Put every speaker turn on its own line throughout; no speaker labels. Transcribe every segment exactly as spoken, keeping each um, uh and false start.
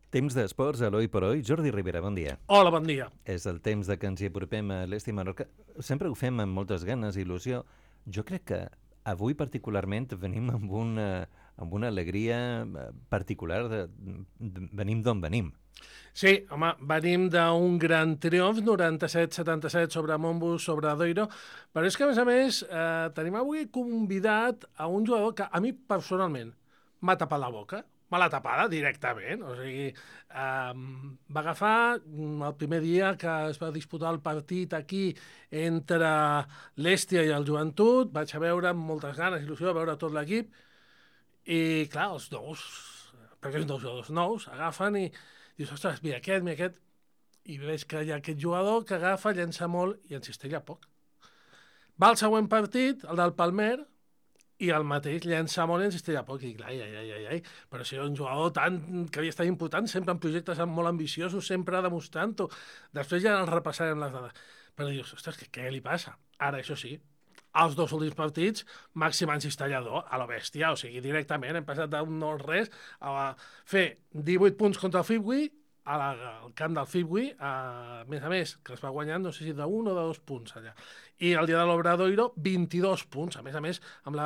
Temps d'esports, Eloi Poroi. Jordi Rivera, bon dia.
Hola, bon dia.
És el temps de que ens hi apropem a l'Esti Menorca. Sempre ho fem amb moltes ganes i il·lusió. Jo crec que avui particularment venim amb una, amb una alegria particular. De, de, venim d'on venim.
Sí, home, venim d'un gran triomf, noranta-set setanta-set sobre Montbus, sobre Doiro, però és que, a més a més, eh, tenim avui convidat a un jugador que a mi, personalment, m'ha tapat la boca. Me l'ha tapada directament. O sigui, eh, va agafar el primer dia que es va disputar el partit aquí entre l'Èstia i el Joventut. Vaig a veure amb moltes ganes, il·lusió, a veure tot l'equip. I, clar, els nous, perquè són dos jugadors nous, agafen i dius, ostres, mira aquest, mira aquest. I veig que hi ha aquest jugador que agafa, llença molt i en cistella poc. Va al següent partit, el del Palmer, i el mateix llença molt i en cistella poc. I clar, ai, ai, ai, ai. Però si era un jugador tan, que havia estat important, sempre en projectes molt ambiciosos, sempre demostrant-ho. Després ja el repassarem les dades. Però dius, ostres, què, què li passa? Ara, això sí, els dos últims partits, màxim encistellador a la bèstia, o sigui, directament hem passat d'un no-res a fer divuit punts contra el Fibui, a la, al camp del Fibui, a més a més, que es va guanyant, no sé si d'un o de dos punts allà. I el dia de l'Obradoiro, vint-i-dos punts, a més a més, amb, la,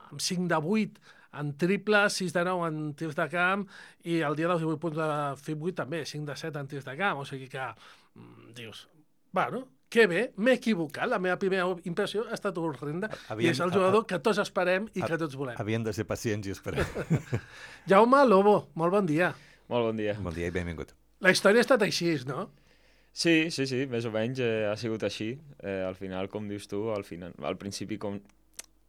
amb cinc de vuit en triple, sis de nou en tirs de camp, i el dia dels divuit punts de Fibui també, cinc de set en tirs de camp, o sigui que, mm, dius, bueno, que bé, m'he equivocat, la meva primera impressió ha estat horrenda, i és el jugador que tots esperem i que tots volem.
Havien de ser pacients i esperem.
Jaume Lobo, molt bon dia.
Molt bon dia.
Bon dia i benvingut.
La història ha estat així, no?
Sí, sí, sí, més o menys eh, ha sigut així. Eh, al final, com dius tu, al, final, al principi, com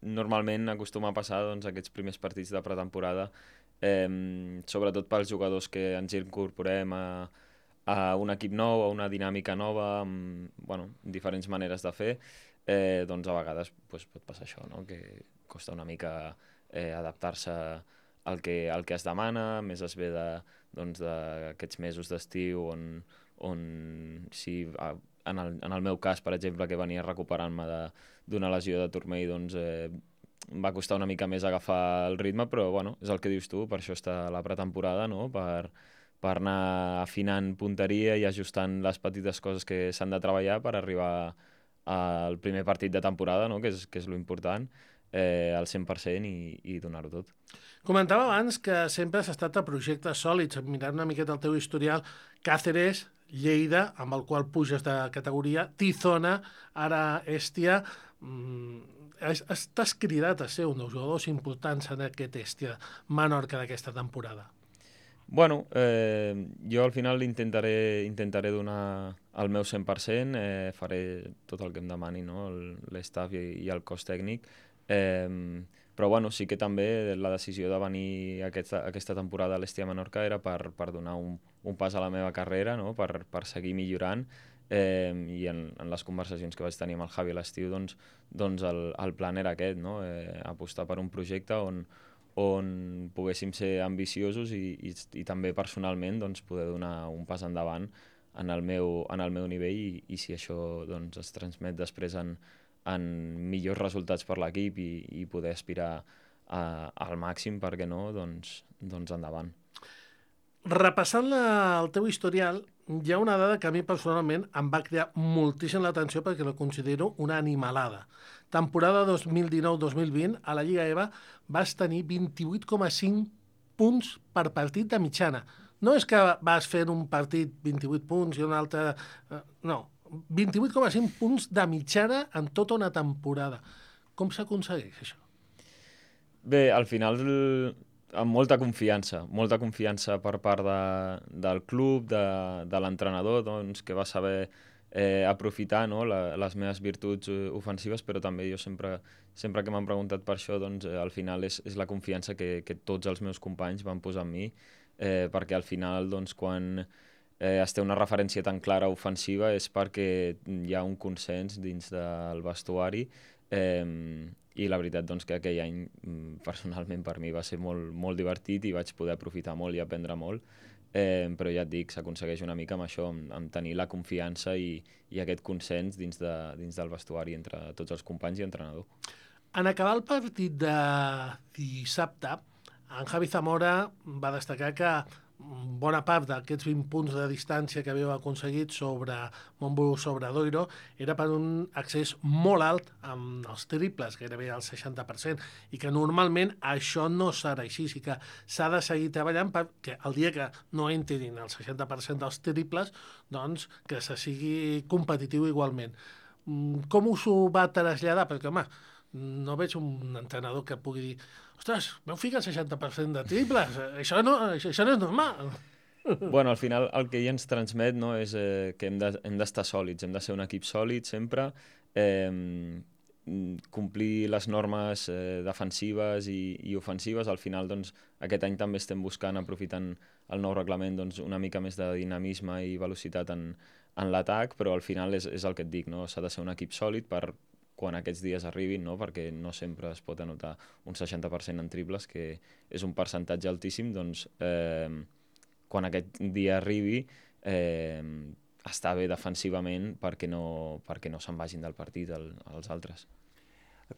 normalment acostuma a passar, doncs, aquests primers partits de pretemporada, eh, sobretot pels jugadors que ens incorporem a, a un equip nou, a una dinàmica nova, amb bueno, diferents maneres de fer, eh, doncs a vegades pues, pot passar això, no? Que costa una mica eh, adaptar-se al que, al que es demana, més es ve de, doncs, d'aquests mesos d'estiu on, on si, en, el, en el meu cas, per exemple, que venia recuperant-me d'una lesió de turmell, doncs eh, va costar una mica més agafar el ritme, però bueno, és el que dius tu, per això està la pretemporada, no? per, per anar afinant punteria i ajustant les petites coses que s'han de treballar per arribar al primer partit de temporada, no? que és, que és l'important, eh, al cent per cent i, i donar-ho tot.
Comentava abans que sempre has estat a projectes sòlids, mirant una miqueta el teu historial, Càceres, Lleida, amb el qual puges de categoria, Tizona, ara Èstia. Mm, estàs cridat a ser un dels jugadors importants en aquest Èstia Menorca d'aquesta temporada.
Bueno, eh, jo al final intentaré, intentaré donar el meu cent per cent, eh, faré tot el que em demani, no? l'estaf i, i el cos tècnic, eh, però bueno, sí que també la decisió de venir aquesta, aquesta temporada a l'Èstia Menorca era per, per donar un, un pas a la meva carrera, no? per, per seguir millorant, eh, i en, en les conversacions que vaig tenir amb el Javi a l'estiu, doncs, doncs el, el plan era aquest, no? eh, apostar per un projecte on, on poguéssim ser ambiciosos i, i, i també personalment doncs, poder donar un pas endavant en el meu, en el meu nivell i, i si això doncs, es transmet després en, en millors resultats per l'equip i, i poder aspirar a, al màxim, per què no, doncs, doncs endavant.
Repassant la, el teu historial, hi ha una dada que a mi personalment em va crear moltíssim l'atenció perquè la considero una animalada. Temporada dos mil dinou dos mil vint, a la Lliga E V A vas tenir vint-i-vuit coma cinc punts per partit de mitjana. No és que vas fer un partit vint-i-vuit punts i un altre... No, vint-i-vuit coma cinc punts de mitjana en tota una temporada. Com s'aconsegueix això?
Bé, al final amb molta confiança, molta confiança per part de, del club, de, de l'entrenador, doncs, que va saber eh, aprofitar, no, la, les meves virtuts ofensives, però també jo sempre, sempre que m'han preguntat per això, doncs, eh, al final és, és la confiança que, que tots els meus companys van posar en mi, eh, perquè al final, doncs, quan eh, es té una referència tan clara ofensiva és perquè hi ha un consens dins del vestuari, eh, i la veritat doncs, que aquell any personalment per mi va ser molt, molt divertit i vaig poder aprofitar molt i aprendre molt, eh, però ja et dic, s'aconsegueix una mica amb això, amb, amb tenir la confiança i, i aquest consens dins, de, dins del vestuari entre tots els companys i entrenador.
En acabar el partit de dissabte, en Javi Zamora va destacar que bona part d'aquests vint punts de distància que havíeu aconseguit sobre Montbus, sobre Doiro, era per un accés molt alt amb els triples, gairebé al seixanta per cent, i que normalment això no serà així, i que s'ha de seguir treballant perquè el dia que no entrin el seixanta per cent dels triples, doncs que se sigui competitiu igualment. Com us ho va traslladar? Perquè, home, no veig un entrenador que pugui dir ostres, veu ficar el seixanta per cent de triples, això no, això no és normal.
Bueno, al final el que ell ens transmet, no, és eh, que hem de, hem d'estar sòlids, hem de ser un equip sòlid sempre, eh, complir les normes eh, defensives i, i ofensives. Al final, doncs, aquest any també estem buscant, aprofitant el nou reglament, doncs, una mica més de dinamisme i velocitat en, en l'atac, però al final és, és el que et dic, no? S'ha de ser un equip sòlid per quan aquests dies arribin, no? Perquè no sempre es pot anotar un seixanta per cent en triples, que és un percentatge altíssim, doncs eh, quan aquest dia arribi eh, està bé defensivament perquè no, perquè no se'n vagin del partit el, els altres.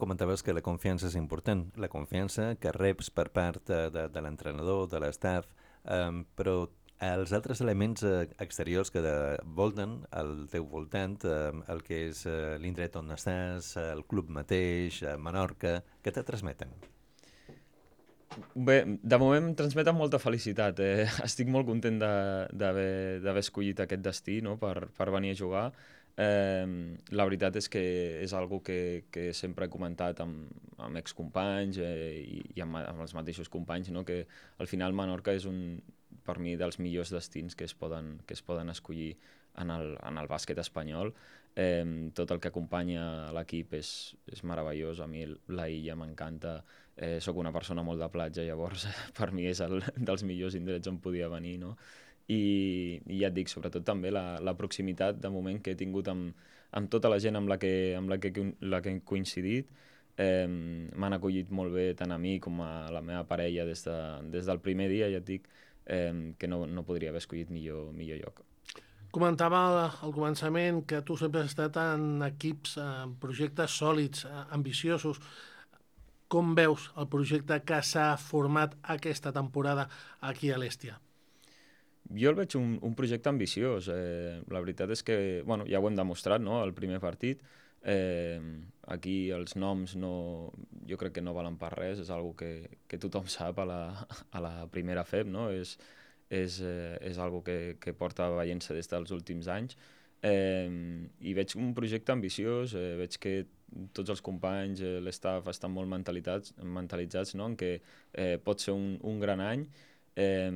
Comentaves que la confiança és important, la confiança que reps per part de, de, de l'entrenador, de l'estaf, eh, però els altres elements eh, exteriors que volten al teu voltant, eh, el que és eh, l'indret on estàs, el club mateix, eh, Menorca, què te transmeten?
Bé, de moment em transmeten molta felicitat. Eh? Estic molt content d'haver escollit aquest destí, no? per, per venir a jugar. Eh, la veritat és que és algo que, que sempre he comentat amb, amb excompanys eh, i, i amb, amb els mateixos companys, no? Que al final Menorca és un, per mi, dels millors destins que es poden, que es poden escollir en el, en el bàsquet espanyol. Eh, tot el que acompanya l'equip és, és meravellós. A mi la illa m'encanta. Eh, soc una persona molt de platja, llavors per mi és el dels millors indrets on podia venir, no? I, i ja et dic, sobretot també la, la proximitat de moment que he tingut amb, amb tota la gent amb la que, amb la que, la que he coincidit. Eh, m'han acollit molt bé tant a mi com a la meva parella des, de, des del primer dia, ja et dic, eh, que no, no podria haver escollit millor, millor lloc.
Comentava al començament que tu sempre has estat en equips, en projectes sòlids, ambiciosos. Com veus el projecte que s'ha format aquesta temporada aquí a l'Hèstia?
Jo el veig un, un projecte ambiciós. Eh, la veritat és que, bueno, ja ho hem demostrat, no?, el primer partit. Eh, aquí els noms no, jo crec que no valen per res, és algo que, que tothom sap a la, a la primera F E B, no? És, és, eh, és algo que, que porta veient-se des dels últims anys. Eh, I veig un projecte ambiciós, eh, veig que tots els companys, eh, l'estaf estan molt mentalitzats, mentalitzats, no?, en què eh, pot ser un, un gran any. Eh,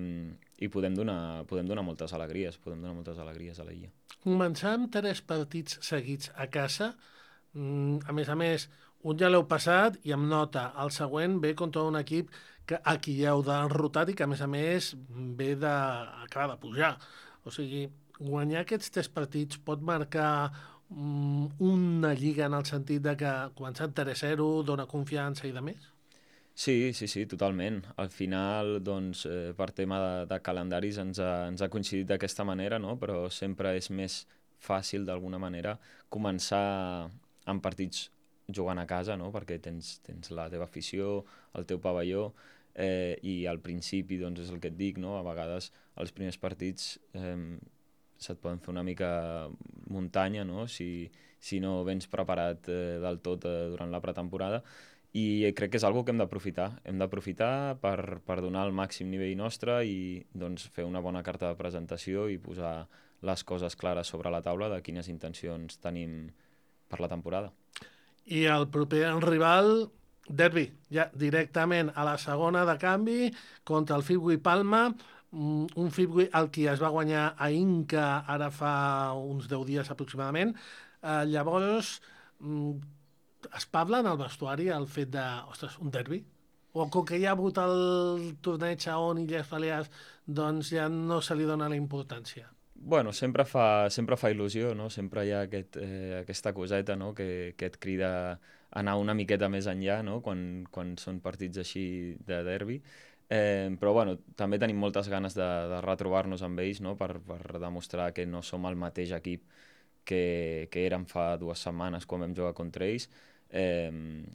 i podem donar, podem donar moltes alegries, podem donar moltes alegries a l'illa.
Començar amb tres partits seguits a casa, a més a més, un ja l'heu passat i amb nota, el següent ve contra un equip que a qui ja heu derrotat i que a més a més ve de, acaba de pujar. O sigui, guanyar aquests tres partits pot marcar um, una lliga en el sentit de que començant tres zero dona confiança i de més?
Sí, sí, sí, totalment. Al final, doncs, eh, per tema de, de calendaris ens ha, ens ha coincidit d'aquesta manera, no? Però sempre és més fàcil, d'alguna manera, començar amb partits jugant a casa, no? Perquè tens, tens la teva afició, el teu pavelló, eh, i al principi, doncs, és el que et dic, no? A vegades els primers partits eh, se't poden fer una mica muntanya, no? Si, si no vens preparat eh, del tot eh, durant la pretemporada. I crec que és una que hem d'aprofitar. Hem d'aprofitar per, per donar el màxim nivell nostre i doncs, fer una bona carta de presentació i posar les coses clares sobre la taula de quines intencions tenim per la temporada.
I el proper rival, derbi, ja directament a la segona de canvi contra el Fibui Palma, un Fibui al qui es va guanyar a Inca ara fa uns deu dies aproximadament. Eh, llavors, es parla en el vestuari el fet de, ostres, un derbi? O com que hi ha hagut el torneig a on Illes Balears, doncs ja no se li dona la importància?
Bueno, sempre fa, sempre fa il·lusió, no? Sempre hi ha aquest, eh, aquesta coseta, no?, que, que et crida a anar una miqueta més enllà, no?, quan, quan són partits així de derbi. Eh, però bueno, també tenim moltes ganes de, de retrobar-nos amb ells, no?, per, per demostrar que no som el mateix equip que, que érem fa dues setmanes quan vam jugar contra ells. eh,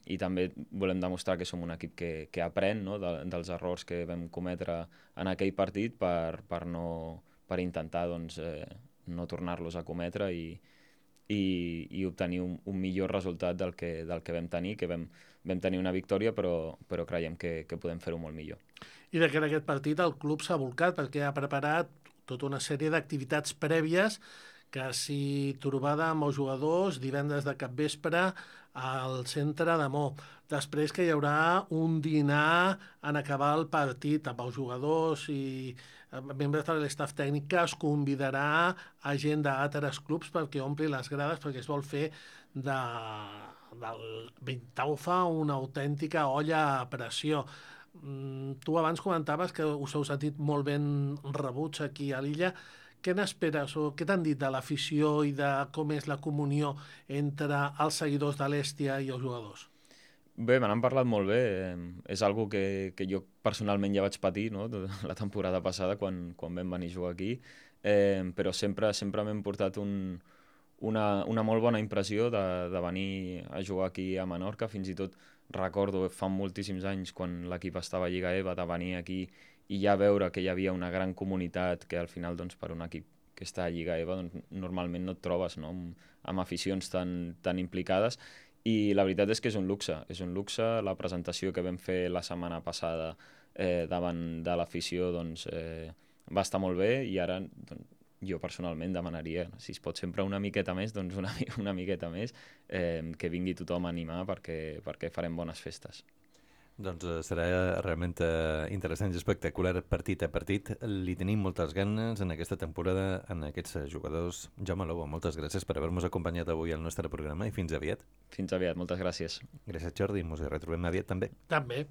i també volem demostrar que som un equip que, que aprèn, no?, de, dels errors que vam cometre en aquell partit per, per, no, per intentar doncs, eh, no tornar-los a cometre i, i, i obtenir un, un millor resultat del que, del que vam tenir, que vam, vam tenir una victòria, però, però creiem que, que podem fer-ho molt millor.
I de que en aquest partit el club s'ha volcat perquè ha preparat tota una sèrie d'activitats prèvies, quasi trobada amb els jugadors divendres de capvespre al centre de Mo. Després que hi haurà un dinar en acabar el partit amb els jugadors i membres de l'estaf tècnic, que es convidarà a gent d'altres clubs perquè ompli les grades, perquè es vol fer de, del Vintaufa una autèntica olla a pressió. Tu abans comentaves que us heu sentit molt ben rebuts aquí a l'illa. Què n'esperes o què t'han dit de l'afició i de com és la comunió entre els seguidors de l'Hèstia i els jugadors?
Bé, me n'han parlat molt bé. És algo que, que jo personalment ja vaig patir, no?, la temporada passada quan, quan vam venir a jugar aquí, eh, però sempre, sempre m'hem portat un, una, una molt bona impressió de, de venir a jugar aquí a Menorca. Fins i tot recordo fa moltíssims anys, quan l'equip estava a Lliga E V A, de venir aquí i ja veure que hi havia una gran comunitat, que al final, doncs, per un equip que està a Lliga E V A, doncs, normalment no et trobes, no?, amb, amb aficions tan, tan implicades. I la veritat és que és un luxe, és un luxe. La presentació que vam fer la setmana passada eh, davant de l'afició, doncs, eh, va estar molt bé, i ara doncs, jo personalment demanaria, si es pot sempre una miqueta més, doncs una, una miqueta més, eh, que vingui tothom a animar perquè, perquè farem bones festes.
Doncs eh, serà realment eh, interessant i espectacular partit a partit. Li tenim moltes ganes en aquesta temporada, en aquests jugadors. Jaume Lobo, moltes gràcies per haver-nos acompanyat avui al nostre programa i fins aviat.
Fins aviat, moltes gràcies.
Gràcies, Jordi. Ens retrobem aviat també.
També.